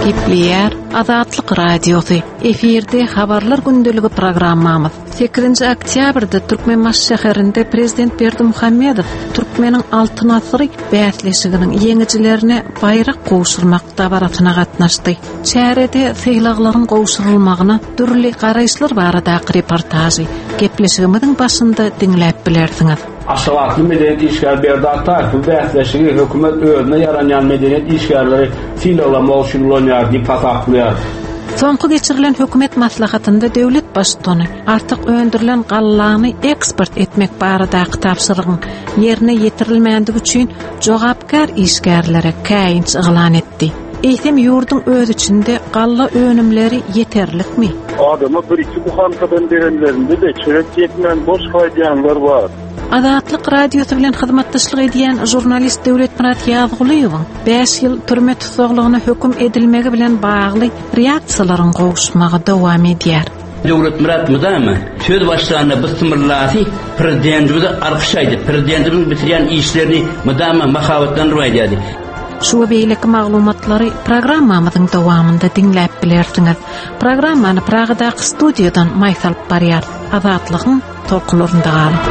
Gepleýär Azatlyk Radiosy. Efirde Habarlar gündeligi programmamyz. Sekizinji oktýabrda Türkmenbaşy şäherinde Prezident Berdimuhamedow Türkmeniň Altyn asyry bäsleşiginiň ýeňijilerine baýrak gowşurmak dabarasyna gatnaşdy. Çärede sylaglaryň gowşurylmagyna dürli garaýyşlar baradaky reportažy gepleşigimiziň başynda diňläp bilersiňiz. Aşgabatly medeniýet işgäri Berdi Ataýew bu bäsleşigi hökümet özüne ýaranýan medeniýet işgärleri sylaglamak üçin ulanýar diýip hasaplaýar. Soňky geçirilen hökümet maslahatynda döwlet Baştutany artyk öndürilen gallany eksport etmek baradaky tabşyrygyň ýerine ýetirilmändigi üçin jogapkär işgärlere käýinç yglan etdi. Eýsem ýurduň öz içinde galla önümleri ýeterlikmi? Adama bir-iki buhankadan berenlerinde-de çörek ýetmän boş gaýdýanlar bar. Azatlyk Radiosy bilen hyzmatdaşlyk edýän žurnalist Döwletmyrat Ýazgulyýewiň bäş ýyl türme tussaglygyna höküm edilmegi bilen bagly reaksiýalaryň gowuşmagy dowam edýär. Döwletmyrat mydama söz başlanda bysmyllasy prezidentimize alkyş aýdyp, prezidentimiziň bitirýän işlerini mydama mahabatlandyryp aýdýardy. Şu we beýleki maglumatlary programmamyzyň dowamynda diňläp bilersiňiz. Programmany Pragadaky studiýadan Maýsa alyp barýar. Azatlygyň tolkunlarynda galyň.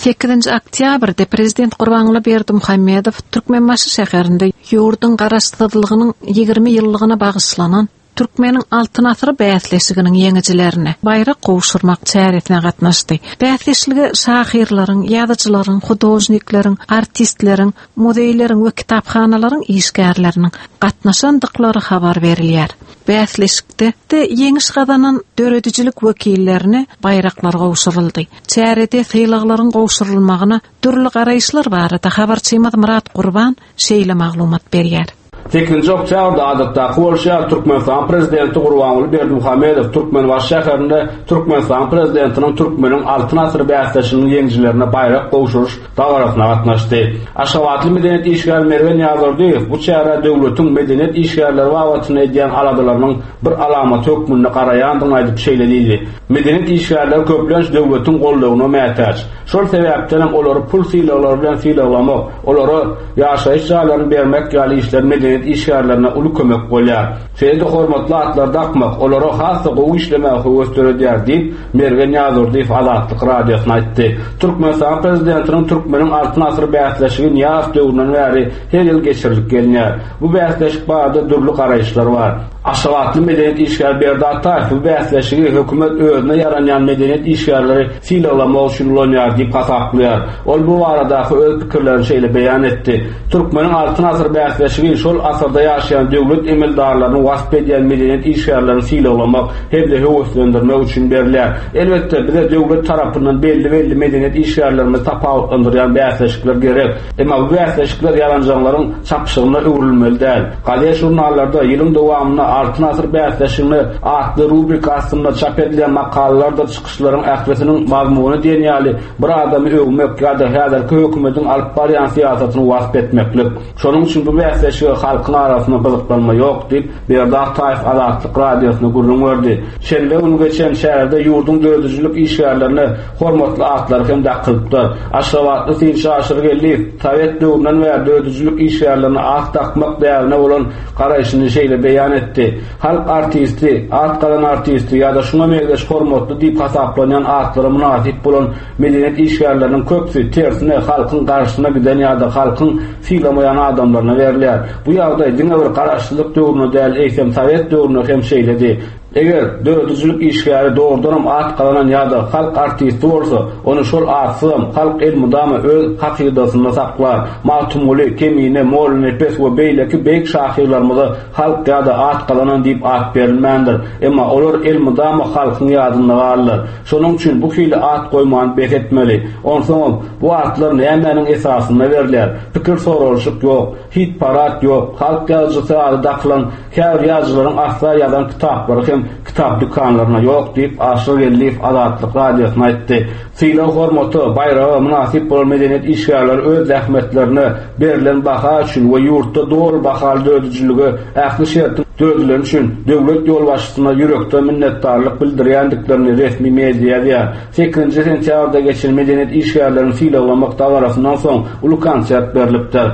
Sekizinji oktýabrda prezident Gurbanguly Berdimuhamedow Türkmenbaşy şäherinde ýurduň Garaşsyzlygynyň 20 ýyllygyna bagyşlanan Türkmeniň Altyn asyry bäsleşiginiň ýeňijilerine baýrak gowşurmak çäresine gatnaşdy. Bäsleşlige şahyrlaryň, ýazyjylaryň, hudožnikleriň, artistleriň, muzeýleriň we kitaphanalaryň işgärleriniň gatnaşandyklary habar berilýär. Bäsleşikde ýeňiş gazanan döredijilik wekillerine baýraklar gowşuryldy. Çärede sylaglaryň gowşurylmagyna dürli garaýyşlar barada habarçymyz Myrat Gurban şeýle maglumat berýär. Sekizinji oktýabrda adatdaky bolşy ýaly Türkmenistanyň Prezidenti Gurbanguly Berdimuhamedow Türkmenbaşy şäherinde Türkmenistanyň Prezidentiniň Türkmeniň Altyn asyry bäsleşiginiň ýeňijilerine baýrak gowşuryş dabarasyna gatnaşdy. Aşgabatly medeniýet işgäri Mergen Ýazurdyýew bu çärä döwletiň medeniýet işgärleri babatynda edýän aladalarynyň bir alamaty hökmünde garaýandygyny aýdyp şeýle diýdi, Medeniýet işgärleri köplenç döwletiň goldawyna mätäç. Şol sebäpdenem olary pul sylaglary bilen sylaglamak, olara ýaşaýyş jaýlaryny bermek ýaly işler medeniýet işgärlerine uly kömek bolýar. Şeýle-de hormatly atlary dakmak, olara has-da gowy işlemäge höwes döredýär diýip, Mergen Ýazurdyýew Azatlyk Radiosyna aýtdy. Türkmenistanyň Prezidentiniň Türkmeniň Altyn asyry bäsleşigi Nyýazow döwründen bäri her ýyl geçirilip gelinýär. Bu bäsleşik barada dürli garaýyşlar bar. Aşgabatly medeniýet işgäri Berdi Ataýew bu bäsleşigi hökümet özüne ýaranýan medeniýet işgärleri sylaglamak üçin ulanýar diýip hasaplaýar. Ol bu baradaky öz pikirlerini şeýle beýan etdi, Türkmeniň Altyn asyry bäsleşigi şol asyrda ýaşaýan döwlet emeldarlaryny wasp edýän medeniýet işgärlerini sylaglamak hem-de höweslendirmek üçin berilýär. Elbetde, bize döwlet tarapyndan belli-belli medeniýet işgärlerimizi tapawutlandyrýan bäsleşikler gerek. Emma bu bäsleşikler ýalanjaňlaryň çapyşygyna öwrülmeli däl. Gazet-žurnallarda ýylyň dowamynda Altyn asyr bäsleşigine atly rubrika astynda çap edilýän makalalardyr çykyşlaryň ählisiniň mazmuny diýen ýaly bir adamy öwmek ýa-da häzirki hökümetiň alyp barýan syýasatyny wasp etmeklik. Şonuň üçin bu bäsleşige halkyň arasynda gyzyklanma ýok diýip, Berdi Ataýew Azatlyk Radiosyna gürrüň berdi. Şenbe güni geçen çärede ýurduň döredijilik işgärlerine hormatly atlar hem dakylypdyr. Aşgabatly synçy Aşyr Geldiýew sowet döwründen bäri döredijilik işgärlerine at dakmak däbine bolan garaýşyny şeýle beýan etdi, Halk artisti, at gazan artisti ýa-da şuňa meňzeş hormatly diýip hasaplanýan atlara mynasyp bolan medeniýet işgärleriniň köpüsi, tersine, halkyň garşysyna giden ýa-da halkyň sylamaýan adamlaryna berilýär. Bu ýagdaý diňe bir garaşsyzlyk döwründe däl, eýsem sowet döwründe hem şeýledi. Eger döredijilik işgäri dogrudanam at gazanan ýa-da halk artisti bolsa, ony şol atsyzam halk elmydama öz hakydasynda saklar. Magtymguly, Kemine, Mollanepes we beýleki beýik şahyrlarymyza halk ýa-da at gazanan diýip at berilmändir. Emma olar elmydama halkyň ýadynda galdylar. Şonuň üçin bu hili at goýmany bes etmeli. Onsoňam, bu atlar nämäniň esasynda berilýär? Pikir soralyşyk ýok. Hit-parad ýok. Halk ýazyjysy ady dakylan käbir ýazyjylaryň asla ýazan kitaplary hem. kitap dükanlarynda ýok diýip, Aşyr Geldiýew Azatlyk Radiosyna aýtdy. Sylag-hormata, baýraga mynasyp bolan medeniýet işgärleri öz zähmetlerine berlen baha üçin we ýurtda doly bahaly döredijilige ähli şertiň döredileni üçin döwlet ýolbaşçysyna ýürekden minnetdarlyk bildirýändiklerini resmi media ýazýar. Sekizinji sentýabrda geçen medeniýet işgärlerini sylaglamak dabarasyndan soň uly konsert berlipdir.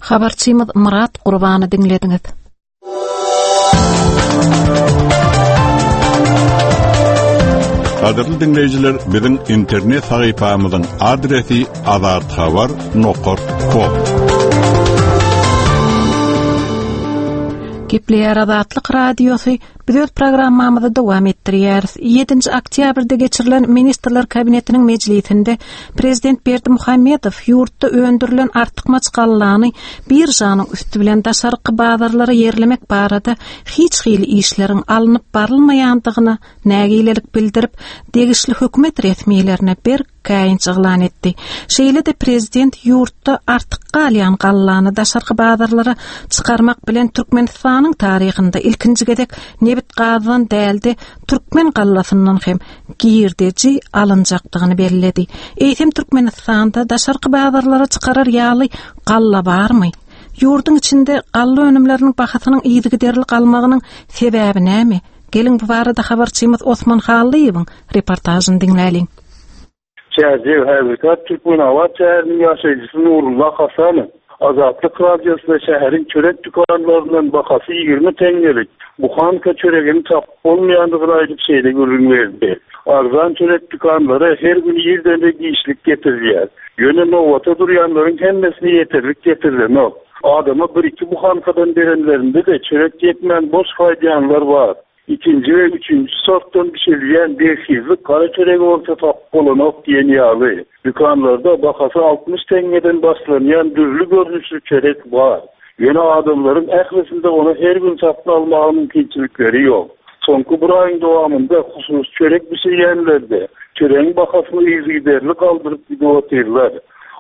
Habarçymyz Myrat Gurbany diňlediňiz. Gadyrly diňleýjiler, biziň internet sahypamyzyň adresi azathabar nokat kom. Gepleýär Azatlyk Radiosy, biz öz programmamyzy dowam etdirýäris. 7-nji oktýabrda geçirilen Ministrler Kabinetiniň mejlisinde Prezident Berdimuhamedow ýurtda öndürilen artykmaç gallany biržanyň üsti bilen daşarky bazarlara ýerlemek barada hiç hili işleriň alnyp barylmaýandygyna nägilelik bildirip, degişli hökümet resmilerine berk käýinç yglan etdi. Şeýle-de prezident ýurtda artyk galýan gallany daşarky bazarlara çykarmak bilen Türkmenistanyň taryhynda ilkinji gezek nebit-gazdan däl-de, türkmen gallasyndan hem girdeji alynjakdygyny belledi. Eýsem Türkmenistanda daşarky bazarlara çykarar ýaly galla barmy? Ýurduň içinde galla önümleriniň bahasynyň yzygiderli galmagynyň sebäbi näme? Geliň bu barada habarçymyz Osman Hallyýewiň reportažyny diňläliň. Çärjew, häzirki ady Türkmenabat şäheriniň ýaşaýjysy Nurulla Hasanow Azatlyk Radiosyna şäheriň çörek dükanlaryndan bahasy 20 teňňelik buhanka çöregini tapyp bolmaýandygyny aýdyp şeýle gürrüň berdi, Arzan çörek dükanlara her gün irden-de giçlik getirilýär. Ýöne nobata durýanlaryň hemmesine ýeterlik getirilenok. Adama bir-iki buhankadan berenlerinde-de çörek ýetmän boş gaýdýanlar bar. Ikinji we üçünji sortdan bişirilýän berhizlik gara çöregi bolsa tapyp bolanok diýen ýaly. Dükanlarda bahasy 60 teňňeden başlanýan dürli görnüşli çörek bar. Ýöne adamlaryň ählisinde ony her gün satyn almaga mümkinçilikleri ýok. Soňky bir aýyň dowamynda hususy çörek bişirýänler-de çöregiň bahasyny yzygiderli galdyryp gidip otyrlar.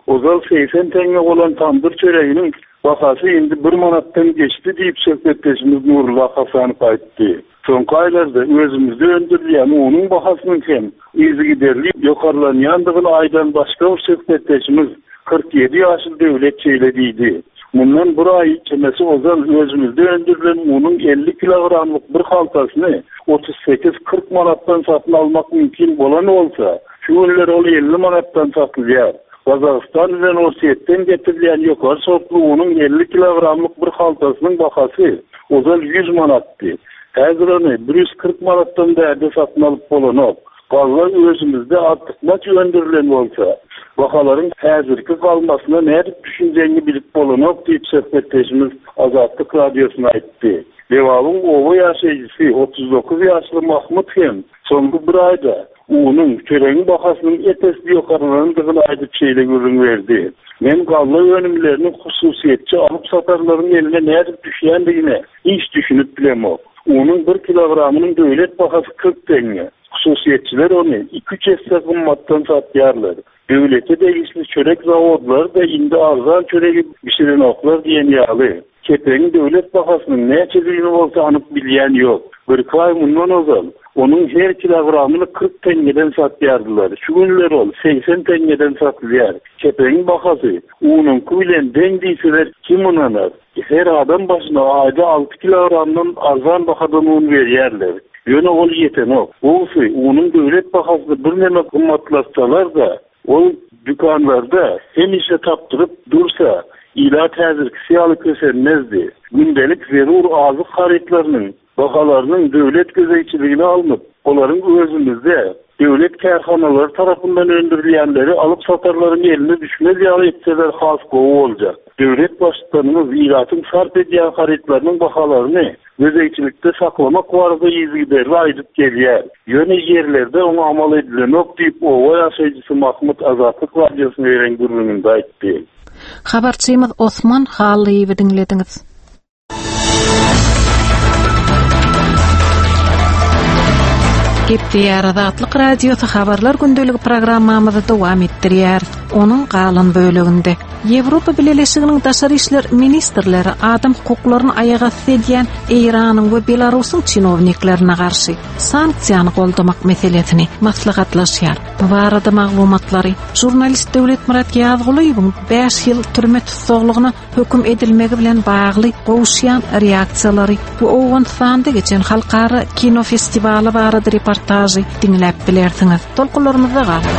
Ozal 80 teňňe bolan tamdyr çöreginiň Bahasy indi bir manatdan geçdi diýip, söhbetdeşimiz Nurulla Hasanow aýtdy. Soňky aýlarda özümizde öndürilýän unuň bahasynyň hem yzygiderli ýokarlanýandygyny aýdan başga bir söhbetdeşimiz, 47 ýaşly Döwlet şeýle diýdi, Mundan bir aý çemesi ozal özümizde öndürilen unuň 50 kilogramlyk bir haltasyny 38-40 manatdan satyn almak mümkin bolan bolsa, şu günler ol 50 manatdan satylýar. Gazagystan bilen Orsýetden getirilýän ýokary sortly unuň 50 kilogramlyk bir haltasynyň bahasy ozal 100 manatdy. Häzir ony 140 manatdan bärde satyn alyp bolanok. Galla özümizde artykmaç öndürilen bolsa, bahalaryň häzirki galmasyna nädip düşünjegiňi bilip bolanok diýip, söhbetdeşimiz Azatlyk Radiosyna aýtdy. Lebabyň oba ýaşaýjysy 39 ýaşly Mahmyt hem soňky bir aýda Unuň, çöregiň bahasynyň ep-esli ýokarlanandygyny aýdyp şeýle gürrüň berdi, Men galla önümleriniň hususyýetçi alyp-satarlaryň eline nädip düşýändigine hiç düşünip bilemok. Unuň bir kilogramynyň döwlet bahasy 40 teňňe. Hususyýetçiler ony iki-üç esse gymmatdan satýarlar. Döwlete degişli çörek zawodlary-da indi arzan çöregi bişirenoklar diýen ýaly. Kepegiň döwlet bahasynyň näçedigini bolsa anyk bilýän ýok. Birki aý mundan ozal, onuň her kilogramyny 40 teňňeden satýardylar. Şu günler ol 80 teňňeden satylýar. Kepegiň bahasy unuňky bilen deň diýseler kim ynanar? Her adam başyna aýda alty kilogramdan arzan bahadan un berýärler. Ýöne ol ýetenok. Gowusy, unuň döwlet bahasyny birneme gymmatlatsalar-da, ol dükanlarda hemişe tapdyryp dursa, ilat häzirkisi ýaly kösenmezdi. Gündelik zerur azyk harytlarynyň bahalarynyň döwlet gözegçiligine alnyp, olaryň özümizde, döwlet kärhanalary tarapyndan öndürilýänleri alyp-satarlaryň eline düşmez ýaly etseler has gowy boljak. Döwlet Baştutanymyz ilatyň sarp edýän harytlarynyň bahalaryny gözegçilikde saklamak barada yzygiderli aýdyp gelýär. Ýöne ýerlerde oňa amal edilenok diýip, oba ýaşaýjysy Mahmyt Azatlyk Radiosyna beren gürrüňinde aýtdy. Habarçymyz Osman Hallyýewi diňlediňiz. Gepleýär Azatlyk Radiosy habarlar gündeligi programmamyzy dowam etdirýär. Onuň galan böleginde. Ýewropa Bileleşiginiň daşary işler ministrleri adam hukuklaryny aýagasty edýän Eýranyň we Belarusyň çinowniklerine garşy sanksiýany goldamak meselesini maslahatlaşýar. Bu barada maglumatlary žurnalist Döwletmyrat Ýazgulyýewiň 5 ýyl türme tussaglygyna höküm edilmegi bilen bagly gowuşýan reaksiýalary we Owganystanda geçen halkara kino festiwaly barada reportažy diňläp bilersiňiz. Tolkunlarymyzda galyň.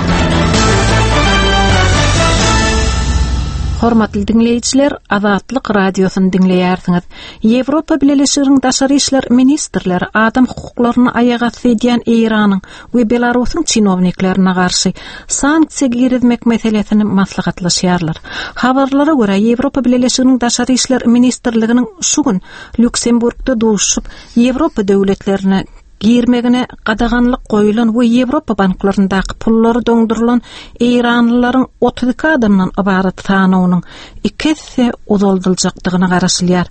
Hormatly diňleýjiler, Azatlyk Radiosyny diňleýärsiňiz. Ýewropa Bileleşiginiň daşary işler ministrleri adam hukuklaryny aýagasty edýän Eýranyň we Belarusyň çinowniklerine garşy sanksiýa girizmek meselesini maslahatlaşýarlar. Habarlara görä, Ýewropa Bileleşiginiň Daşary işler ministrliginiň şu gün Lýuksemburgda duşuşyp, Ýewropa döwletlerine girmegine gadaganlyk goýulan we Ýewropa banklaryndaky pullary doňdurylan eýranlylaryň 32 adamdan ybarat sanawynyň iki esse uzaldyljakdygyna garaşylýar.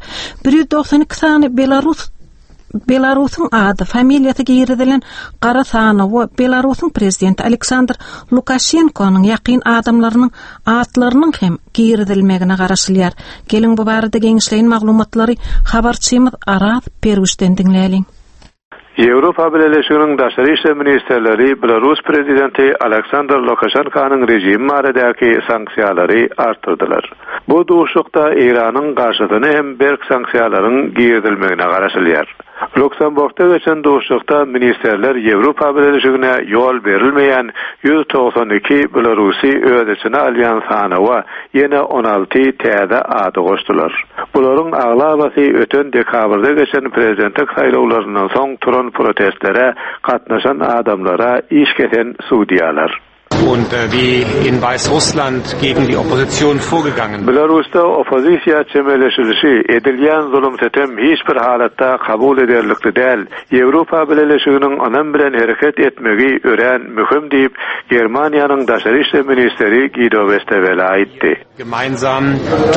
192 sany belarus Belarusyň ady, familiýasy girizilen gara sanawa Belarusyň prezidenti Aleksandr Lukaşenkonyň ýakyn adamlarynyň atlarynyň hem girizilmegine garaşylýar. Geliň bu barada giňişleýin maglumatlary habarçymyz Araz Perwişden diňläliň. Ýewropa Bileleşiginiň daşary işler ministrleri Belarus prezidenti Aleksandr Lukaşenkonyň režimi baradaky sanksiýalary artdyrdylar. Bu duşuşykda Eýranyň garşysyna hem berk sanksiýalaryň girizilmegine garaşylýar. Luksemburgda geçen duşuşykda ministrler Ýewropa Bileleşigine ýol berilmeýän 192 belarusy öz içine alýan sanawa ýene 16 täze ady goşdular. Bularyň aglabasy öten dekabrda geçen prezidentlik saýlawlaryndan soň turan protestlere gatnaşan adamlara iş kesen sudýalar. Und wie in Weißrussland gegen die Opposition vorgegangen. Belarusda oppozisiýa çemeleşilişi, edilýän zulum-sütem hiç bir halatda kabul ederlikli däl. Ýewropa Bileleşiginiň ynam bilen hereket etmegi örän möhüm diýip, Germaniýanyň daşary işler ministri Gido Westewele aýtdy. Gemeinsam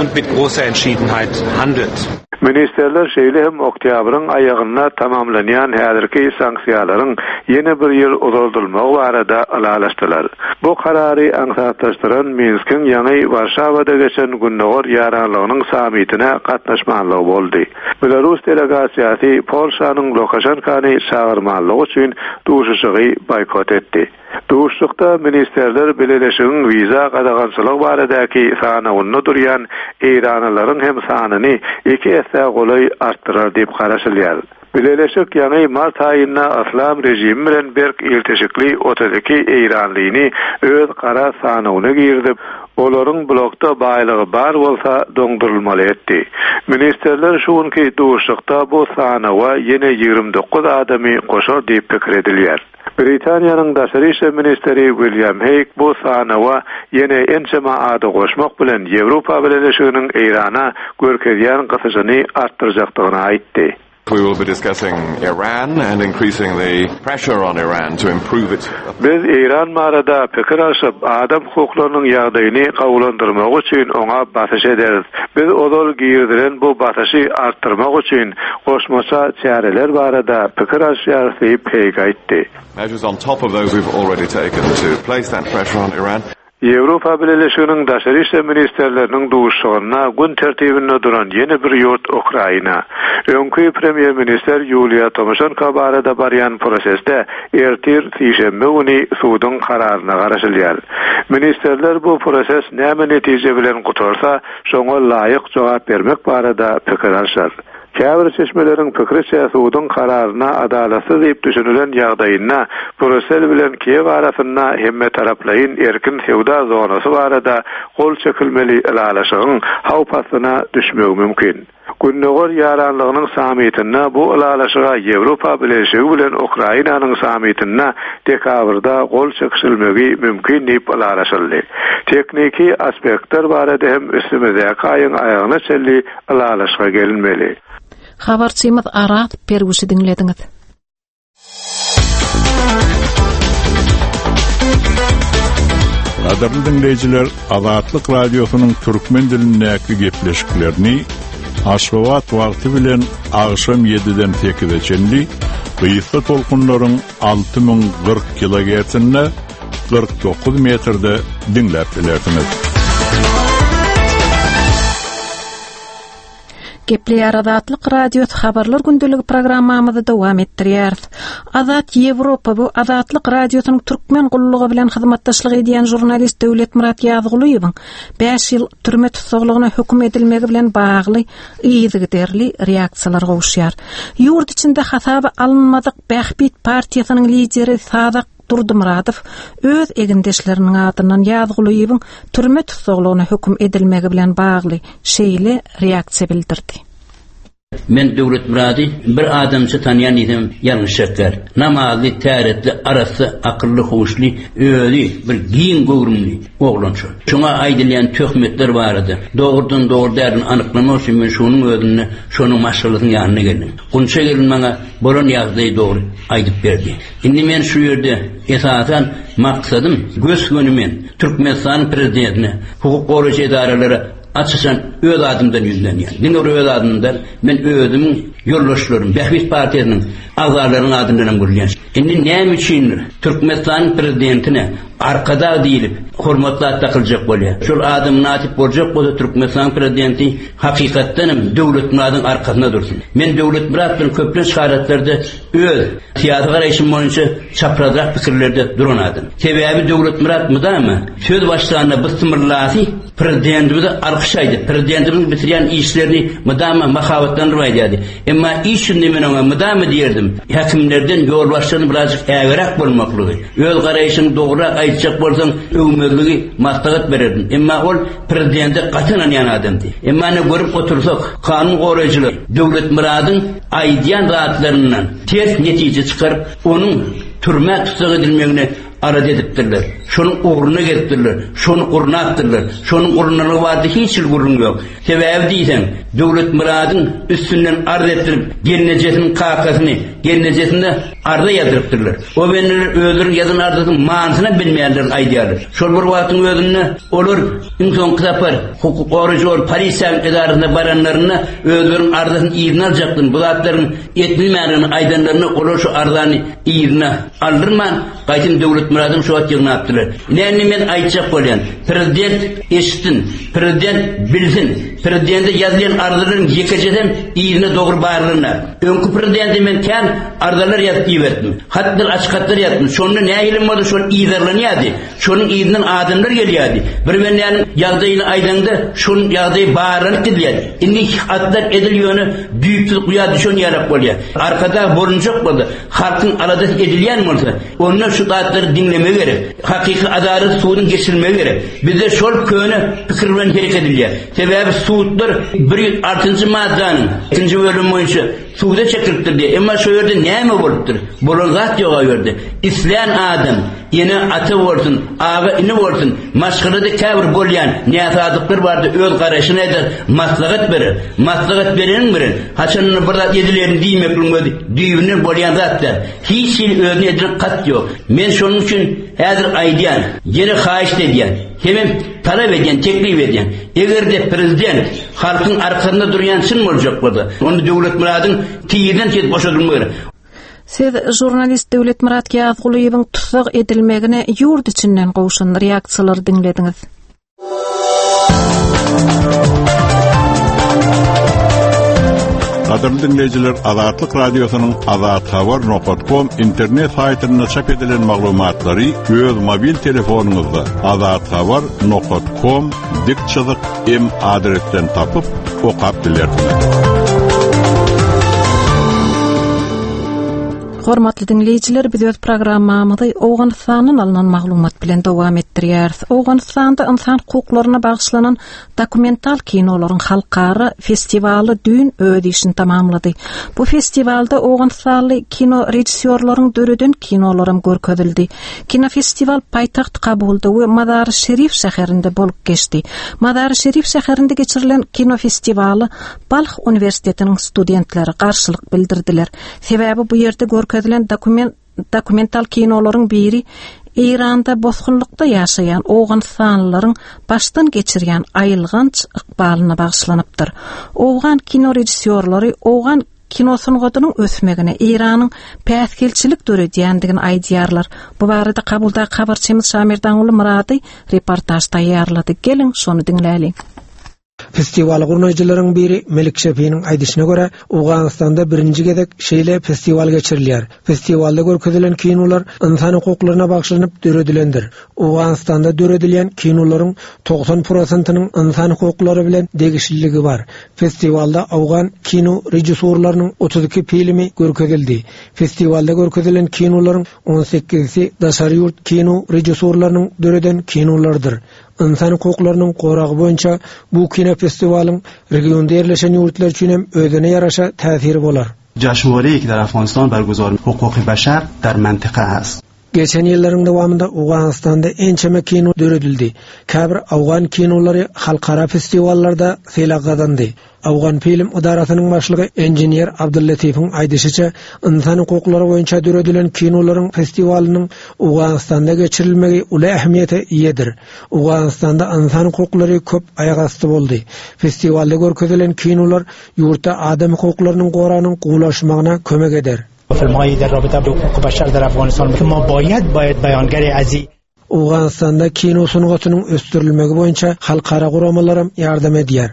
und mit großer Entschiedenheit handelt. Ministrler şeýle hem oktýabryň aýagynda tamamlanýan häzirki sanksiýalaryň ýene bir ýyl uzaldylmagy barada ylalaşdylar. Bu karary aňsatlaşdyran Minskiň ýaňy Warşawada geçen Gündogar ýaranlygynyň sammitine gatnaşmanlygy boldy. Belarus delegasiýasy Polşanyň Lukaşenkany çagyrmanlygy üçin duşuşygy boýkot etdi. Duşuşykda ministrler Bileleşigiň wiza gadagançylygy baradaky sanawynda durýan eýranlylaryň hem sanyny iki essä golaý artdyrar diýip garaşylýar. Bileleşik ýaňy mart aýynda yslam režimi bilen berk ilteşikli 32 eýranlyny öz gara sanawyna girizip, olaryň blokda baýlygy bar bolsa doňdurylmaly etdi. Ministrler şu günki duşuşykda bu sanawa ýene 29 adamy goşar diýip pikir edilýär. Britaniýanyň daşary işler ministri Wilýam Heýg bu sanawa ýene ençeme ady goşmak bilen Ýewropa Bileleşiginiň Eýrana görkezýän gysyşyny artdyrjakdygyny aýtdy. We will be discussing Iran and increasing the pressure on Iran to improve its. Biz Eýran barada pikir alşyp, adam hukuklarynyň ýagdaýyny gowulandyrmagy üçin oňa basyş ederis. Biz ozal girizilen bu basyşy artdyrmak üçin goşmaça çäreler barada pikir alşýarys diýip, Heýg aýtdy. Measures on top of those we've already taken to place that pressure on Iran. Ýewropa Bileleşiginiň daşary işler ministrleriniň duşuşygynda gün tertibinde duran ýene bir ýurt Ukraina. Öňki premýer-ministr Ýuliýa Tomoşenko barada barýan prosesde ertir, sişenbe güni suduň kararyna garaşylýar. Ministrler bu proses näme netije bilen gutarsa, şoňa laýyk jogap bermek barada pikir alşar. Käbir çeşmeleriň pikriçe, suduň kararyna adalatsyz diýip düşünilen ýagdaýynda Brýussel bilen Kiýew arasynda hemmetaraplaýyn erkin söwda zonasy barada gol çekilmeli ylalaşygyň howp astyna düşmegi mümkin. Gündogar ýaranlygynyň sammitinde bu ylalaşyga Ýewropa Bileleşigi bilen Ukrainanyň sammitinde dekabrda gol çekişilmegi mümkin diýip ylalaşyldy. Tehniki aspektler barada hem üstümizdäki aýyň aýagyna çenli ylalaşyga gelinmeli. Habarçymyz Araz Perwişi diňlediňiz. Gadyrly diňleýjiler, Azatlyk Radiosynyň türkmen dilindäki gepleşiklerini Aşgabat wagty bilen agşam 7-den 8-e çenli gysga tolkunlaryň 6040 kilogertsinde 49 metrde diňläp bilersiňiz. Gepleýär Azatlyk Radiosy Habarlar gündeligi programmamyzy dowam etdirýäris. Azat Ýewropa bu Azatlyk Radiosynyň türkmen gullugy bilen hyzmatdaşlyk edýän žurnalist Döwletmyrat Ýazgulyýewiň 5 ýyl türme tussaglygyna höküm edilmegi bilen bagly yzygiderli reaksiýalar gowuşýar. Ýurt içinde hasaba alynmadyk Bähbit partiýasynyň lideri Sazak Durdymyradow öz egindeşleriniň adyndan Ýazgulyýewiň türme tussaglygyna höküm edilmegi bilen bagly şeýle reaksiýa bildirdi. Men Döwletmyrady bir adamça tanýan diýsem ýalňyşjak däl. Namazly, täretli, arassa, akylly, huşly, özi bir giň göwrümli oglan şol. Şoňa aýdylýan töhmetler barada dogrudan dogry däldigini anyklamak üçin men şonuň özünde şonuň maşgalasynyň ýanyna geldim. Gunça gelin maňa bolan ýagdaýy dogry aýdyp berdi. Indi men şu ýerde esasan maksadym gös-göni men Türkmenistanyň prezidentine, hukuk goraýjy edaralara aç-açan öz adymdan ýüzlenýän. Diňe bir öz adymdan däl, men özümiň ýoldaşlarym, Bähbit partiýasynyň agzalarynyň adyndan hem gürleýän. Indi näme üçindir Türkmenistanyň prezidentine Arkadag diýlip hormatly at dakyljak bolýar. Şol ada mynasyp boljak bolsa Türkmenistanyň prezidenti hakykatdan hem Döwletmyradyň arkasynda dursun. Men Döwletmyrat bilen köplenç halatlarda Öz syýasy garaýşym boýunça çaprazrak pikirlerde duran adam. Sebäbi Döwletmyrat mydama söz başlanda bysmyllasy prezidentimize alkyş aýdyp, prezidentimiziň bitirýän işlerini mydama mahabatlandyryp aýdýardy. Emma iş ýüzünde men oňa mydama diýerdim, häkimlerden, ýolbaşçylardan birazjyk ägeräk bolmaklygy, öz garaýşyňy dogrurak aýtjak bolsaň öwmezligi maslahat bererdim. Emma ol prezidente gaty ynanýan adamdy. Emma ine görüp otursak, kanun goraýjylar Döwletmyradyň aýdýan zatlaryndan ters netije çykaryp, onuň türmä tussag edilmegine alada edipdirler. Şonuň ugruna gezipdirler, şony gurnapdyrlar. Şonuň gurnalygy barada hiç hili gürrüň ýok. Sebäbi diýseň, Döwletmyradyň üstünden arz etdirip, gelnejesiniň kakasyny, gelnejesini arza ýazdyrypdyrlar. O bendeler özleriniň ýazan arzasynyň manysynam bilmeýänlerini aýdýarlar. Şol bir wagtyň özünde olar iň soňky sapar hukuk goraýjy bolup polisiýanyň edarasyna baranlarynda özleriniň arzasyny yzyna aljakdygyny, bu zatlaryň edilmändigini aýdanlarynda olar şu arzany yzyna aldyrman, gaýtam Döwletmyradyň şu wagt ýygnapdyrlar. Ine indi men aýtjak bolýan, prezident eşitsin, prezident bilsin, prezidente ýazylýan arzalaryň ýekejesem yzyna dogry barlanyp, öňki prezidente men kän arzalar ýazyp iberdim, hatlar açyk hatlar ýazdym, şonda nähilem bolsa şol yzarlanýardy. Şonuň yzyndan adamlar gelýärdi. Bir bendäniň ýagdaýyny aýdaňda, şonuň ýagdaýy barlanyp gidilýärdi. Indi hatlar edil ýöne düýpsüz guýa düşen ýalak bolýar. Arkadag bolunjak bolsa, halkyň aladasy edilýän bolsa, onda şu zatlary diňlemegi gerek. Hakyky adalat suduň geçirilmegi gerek. Bizde şol köne pikir bilen hereket edilýär. Sebäbi sudlar 106-njy maddanyň ikinji bölümi boýunça Suda çekilipdir diýýär. Emma şo ýerde näme bolupdyr? Bolan zat ýok o ýerde. Islän adam, ene, ata bolsun, aga, ini bolsun, maşgalada käbir bolýan näsazlyklar barada öz garaýşyny aýdar, maslahat berer. Maslahat bereniň bilen, haçanda bir zat edilerin diýmekligiň özi düýbünden bolýan zat däl. Hiç hili özüne edilen kast ýok. Men şonuň üçin häzir aýdýan, ýene haýyşt edýän, hemem talap edýän, teklip edýän. Eger-de prezident Halkyň arkasynda durýan çyn boljak bolsa, onda Döwletmyradyň tizden tiz boşadylmagy gerek. Siz žurnalist Döwletmyrat Ýazgulyýewiň tussag edilmegine ýurt içinden gowşan reaksiýalary diňlediňiz. Gadyrly diňleýjiler, Azatlyk Radiosynyň Azathabar nokat kom internet saýtynda çap edilen maglumatlary öz mobil telefonyňyzda Azathabar nokat kom dik çyzyk M adresden tapyp, okap bilersiňiz. Hormatly diňleýjiler, biz öz programmamyzy Owganystandan alnan maglumat bilen dowam etdirýäris. Owganystanda ynsan hukuklaryna bagyşlanan dokumental kinolaryň halkara festiwaly düýn öz işini tamamlady. Bu festiwalda owganystanly kino režissýorlaryň döreden kinolaram görkezildi. Kinofestiwal paýtagt Kabulda we Mazary-Şerif şäherinde bolup geçdi. Mazary-Şerif şäherinde geçirilen kinofestiwala Balh uniwersitetiniň studentleri garşylyk bildirdiler. Sebäbi bu ýerde görkezilen dokument dokumental kinolaryň biri Eýranda bosgunlykda ýaşaýan owganystanlylaryň başdan geçirýän aýylganç ykbalyna bagyşlanypdyr. Owgan kinorežissýorlary owgan Kino sungatynyň ösmegine Eýranyň päsgelçilik döredýändigini aýdýarlar. Bu barada Kabuldaky habarçymyz Şamerdanguly Myrady reportaž taýýarlady. Geliň, şony diňläliň. Festiwaly gurnaýjylaryň biri Melik Şefiniň aýdyşyna görä, Owganystanda birinji gezek şeýle festiwal geçirilýär. Festiwalda görkezilen kinolar ynsan hukuklaryna bagyşlanyp döredilendir. Owganystanda döredilýän kinolaryň 90 prosentiniň ynsan hukuklary bilen degişliligi bar. Festiwalda owgan kino režissýorlarynyň 32 filmi görkezildi. Festiwalda görkezilen kinolaryň on sekizisi daşary ýurt kino režissýorlarynyň döreden kinolarydyr. Ynsan hukuklarynyň goragy boýunça bu kinofestiwalyň regionda ýerleşen ýurtlar üçin hem özüne ýaraşa täsiri bolar. جشنواره‌ای که در افغانستان برگزار حقوق بشر در منطقه است. Geçen ýyllaryň dowamynda Owganystanda ençeme kino döredildi. Käbir owgan kinolary halkara festiwallarda sylag gazandy. Owganfilm edarasynyň başlygy engineer Abdullatifiň aýdyşyça, ynsan hukuklary boýunça döredilen kinolaryň festiwalynyň Owganystanda geçirilmegi uly ähmiýete eýedir. Owganystanda ynsan hukuklary köp aýagasty boldy. Festiwalda görkezilen kinolar ýurtda adam hukuklarynyň goragynyň gowulaşmagyna kömek eder. فیلم‌هایی در رابطه با حقوق بشر در افغانستان که ما باید باید بیانگر ازی Owganystanda kino sungatynyň ösdürilmegi boýunça halkara guramalaram ýardam edýär.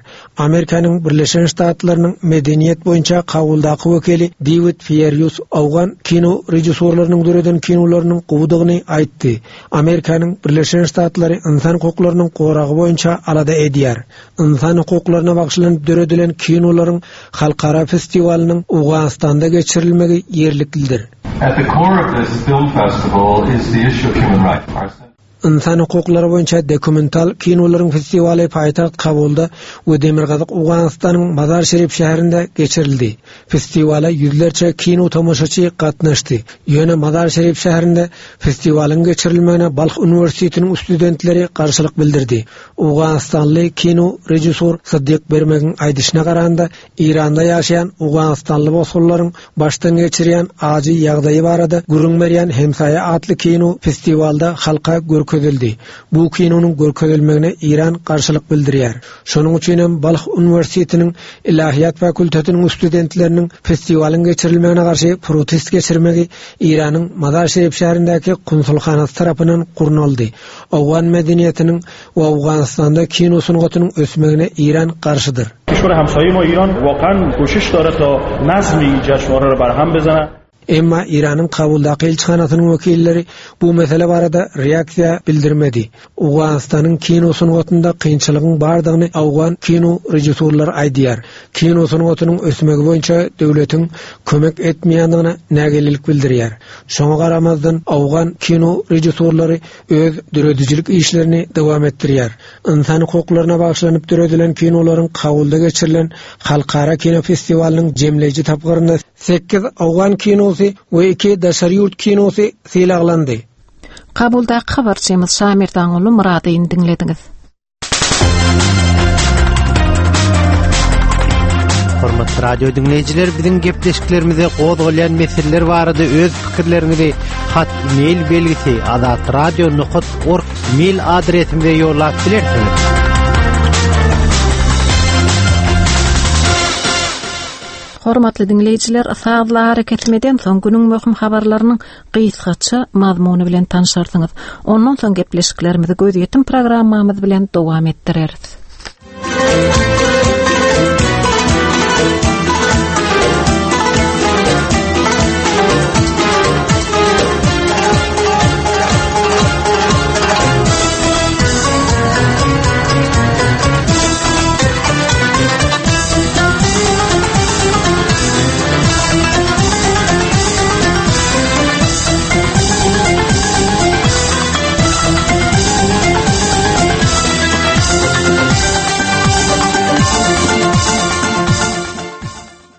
Amerikanyň Birleşen Ştatlarynyň medeniýet boýunça Kabuldaky wekili Dewid Fýerýus owgan kino režissýorlarynyň döreden kinolarynyň gowudygyny aýtdy. Amerikanyň Birleşen Ştatlary ynsan hukuklarynyň goragy boýunça alada edýär. Ynsan hukuklaryna bagyşlanyp döredilen kinolaryň halkara festiwalynyň Owganystanda geçirilmegi ýerliklidir. At the core of this film festival is the issue of human rights. Ynsan hukuklary boýunça dokumental kinolaryň festiwaly paýtagt Kabulda we Demirgazyk Owganystanyň Mazar-Şerif şäherinde geçirildi. Festiwala ýüzlerçe kino tomaşaçy gatnaşdy. Ýöne Mazar-Şerif şäherinde festiwalyň geçirilmegine Balh uniwersitetiniň studentleri garşylyk bildirdi. Owganystanly kino režissýor Syddyk Bermegiň aýdyşyna garanda, Eýranda ýaşaýan owganystanly bosgunlaryň başdan geçirýän ajy ýagdaýy barada gürrüň berýän Hemsaýa atly kino festiwalda halka görkezildi. Bu kinonyň görkezilmegine Eýran garşylyk bildirýär. Şonuň üçin hem Balh uniwersitetiniň Ilahiýat fakultetiniň studentleriniň festiwalyň geçirilmegine garşy protest geçirmegi Eýranyň Mazar-Şerif şäherindäki konsulhanasy tarapyndan gurnaldy. Owgan medeniýetiniň we Owganystanda kino sungatynyň ösmegine Eýran garşydyr. کشور همسایه ما ایران واقعا کوشش داره تا نظم این جشنواره را برهم بزنه. Emma Eýranyň Kabuldaky ilçihanasynyň wekilleri bu mesele barada reaksiýa bildirmedi. Owganystanyň kino sungatynda kynçylygyň bardygyny owgan kino režissýorlary aýdýar. Kino sungatynyň ösmegi boýunça döwletiň kömek etmeýändigine nägilelik bildirýär. Şoňa garamazdan owgan kino režissýorlary öz döredijilik işlerini dowam etdirýär. Ynsan hukuklaryna bagyşlanyp döredilen kinolaryň Kabulda geçirilen halkara kino festiwalynyň jemleýji tapgyrynda sekiz owgan kinosy we iki daşary ýurt kinosy sylaglandy. Kabuldaky habarçymyz Şamerdanguly Myradyny diňlediňiz. Hormatly radio diňleýjiler, biziň gepleşiklerimize gozgalýan meseleler barada öz pikirleriňizi hat mail belgisi azatradio.org mail adresimize ýollap bilersiňiz. Hormatly diňleýjiler, sazly arakesme soň günüň möhüm habarlarynyň gysgaça mazmuny bilen tanşarsyňyz. Ondan soň gepleşiklerimizi gözýetim programmamyz bilen dowam etdireris.